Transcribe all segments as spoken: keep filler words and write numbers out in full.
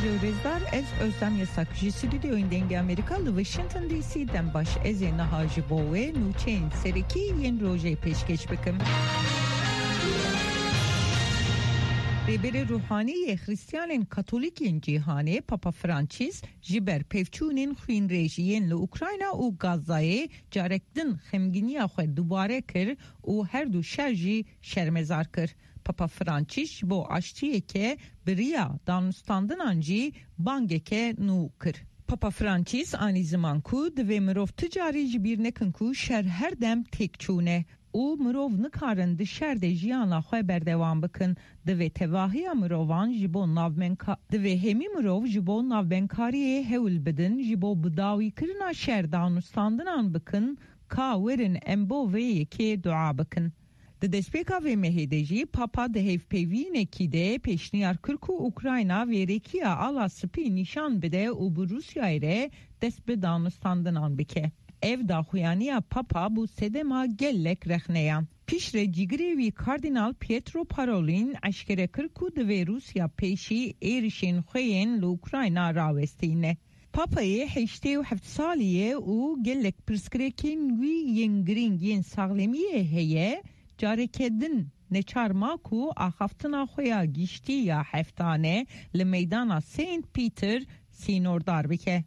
Rêzdar, ez Özlem Yasak, ji stûdyoyên Dengê Amerîka li Washington D C dem baş. Ez ê niha ji bo we nûçeyên serekî yên rojê pêşkêş bikim. Rêberê Ruhanî yê Xristiyanên Katolîk yên cîhanê, Papa Francis, ji ber pevçûnên xwînrêj yên li Ukrayna û Gazayê carek din xemgîniya xwe dubare kir û her du şer jî şermezar kir. Papa Francis ji bo aştiyeke bi riya danûstandinan jî bangeke nû kir. Papa Francis anî ziman ku divê mirov ti carî ji bîr nekin ku şer her dem têk çûne û mirov nikarin di şer de jiyana xwe berdewam bikin. Divê tevahiya mirovan ji bo navbenka-, divê hemî mirov ji bo navbenkariyê hewl bidin, ji bo bidawîkirina şer danûstandinan bikin, ka werin em bo vê yekê dua bikin. Di destpêka vê mehê de jî Papa di hevpeyvînekî de pêşniyar kir ku Ukrayna vêrekiya Ala Spî nîşan bide û bi Rûsyayê re dest bi danûstandinan bike. Ev daxuyaniya Papa bû sedema gelek rexneyan. Piştre cîgirê wî Kardînal Pietro Parolin eşkere kir ku divê Rûsya pêşî êrişên xwe yên li Ukrayna rawestîne. Papayê heştê û heft salî ye û gelek pirsgirêkên wî yên girîng yên saxlemiyê heye, careke din neçar ma ku axaftina xwe ya giştî ya heftane li meydana Saint Peter sînordar bike.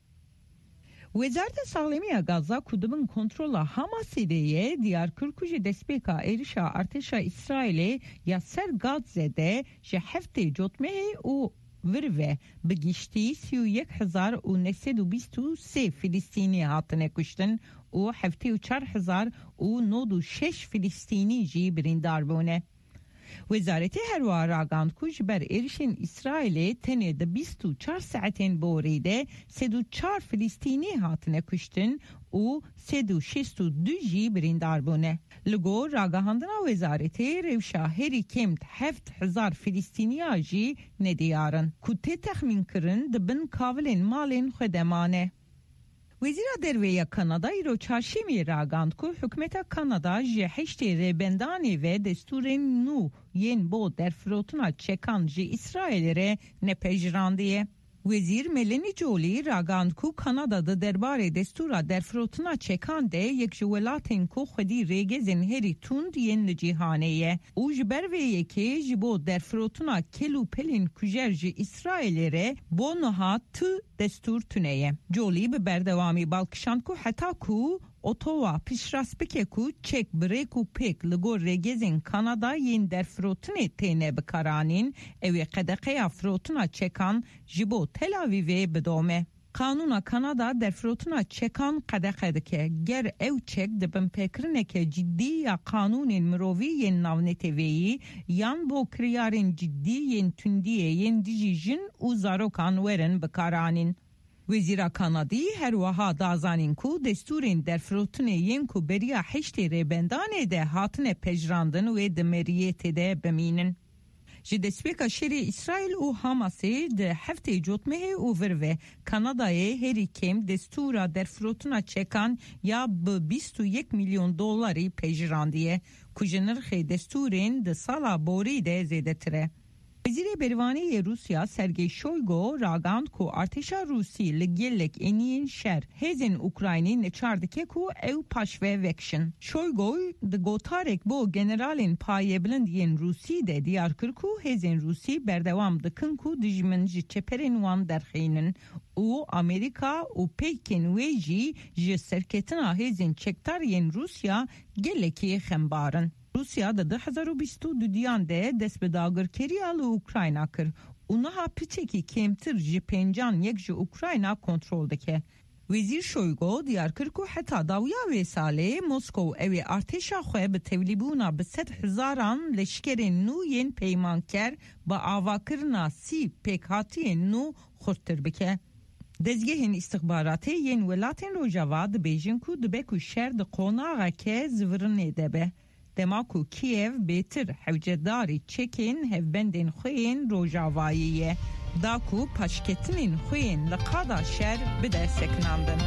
Wezareta Saxlemiya Gaza ku di bin kontrola Hamasê de ye, diyar kir ku ji destpêka êrişa artêşa Îsraîlê ya ser Gazze de ji heftê cotmehê û vir ve bi giştî sî û yek hezar û neh sed û bîst û sê Filistînî hatine kuştin û heftê û çar hezar û nod û şeş Filistînî jî birîndar bûne. Wezaretê her wiha ragand ku ji ber êrişên Îsraîlê tenê di bîst û çar saetên borî de sed û çar Filistînî hatine kuştin û sed û şêst û du jî birîndar bûne. Li gor ragihandina wezaretê, rewşa herî kêm heft hezar Filistîniya jî nediyar in, ku tê texmînkirin di bin kavilên malên xwe de mane. Wezîra Derve ya Kanada îro çarşemê ragand ku hikûmeta Kanada ji heştê rêbendanê ve destûrên nû yên bo derfirotina çekan ji Îsraîlê re nepejirandiye. Wezîr Melanie Joly ragand ku Kanada di derbarê destûra derfirotina çekan de yek ji welatên ku xwedî rêgezên herî tund yên li cîhanê ye û ji ber vê yekê ji bo derfirotina kel û pelên kujer ji Îsraîlê re bo niha tu destûr tune ye. Joly bi berdewamî balkişand ku heta ku Ottawa piştrast bike ku çek bi rêk û pêk li gor rêgezên Kanada yên derfirotinê têne bikaranîn, ew ê qedexeya firotina çekan ji bo Tel Avîvê bidome. Qanûna Kanada derfirotina çekan qedexe dike. Ger ew çek di binpêkirineke cidî ya qanûnên mirovî yên navneteweyî yan bo kiryarên cidî yên tundiyê yên dijî jin û zarokan werin bikaranîn. Wezîra Kanadî her wiha da zanîn ku destûrên derfirotinê yên ku beriya heştê rêbendanê de hatine pejirandin wê di meriyetê de bimînin. Ji destpêka şerê Îsraîl û Hamasê di heftê cotmehê û vir ve Kanadayê herî kêm destûra derfirotina çekan ya bi bîst û yek milyon dolarî pejîrandiye, ku ji nirxê destûrên di sala borî de zêdetir e. Wezîrê Bervanê yê Rûsya Sergey Shoygu ragand ku artêşa Rûsî li gelek eniyên şer hêzên Ukraynî neçar dike ku ew paşve vekişin. Shoygu di gotarek bo generalên payebilind yên Rûsî de diyar kir ku hêzên Rûsî berdewam dikin ku dijmin ji çeperên wan derxînin û Amerîka û peyên wê jî ji serketina hêzên çekdar yên Rûsya gelekî xembar in. Rûsya di du hezar û bîst û duyan de dest bi dagirkeriya li Ukrayna kir û niha piçekî kêmtir ji pêncan yek ji Ukrayna kontrol dike. Wezîr Shoygu diyar kir ku heta dawiya vê salê Moskow ew ê artêşa xwe bi tevlîbûna bi sed hezaran leşkerên nû yên peymanker bi avakirina sî pêkhatiyên nû xurttir bike. Dezgehên îstixbaratê yên welatên Rojava dibêjin ku dibe ku şer di qonaxeke zivirinê de be, dema ku Kîev bêtir hewcedarî çekên hevbendên xwe yên Rojavayê ye, da ku paşketinên xwe yên li qada şer bide sekinandin.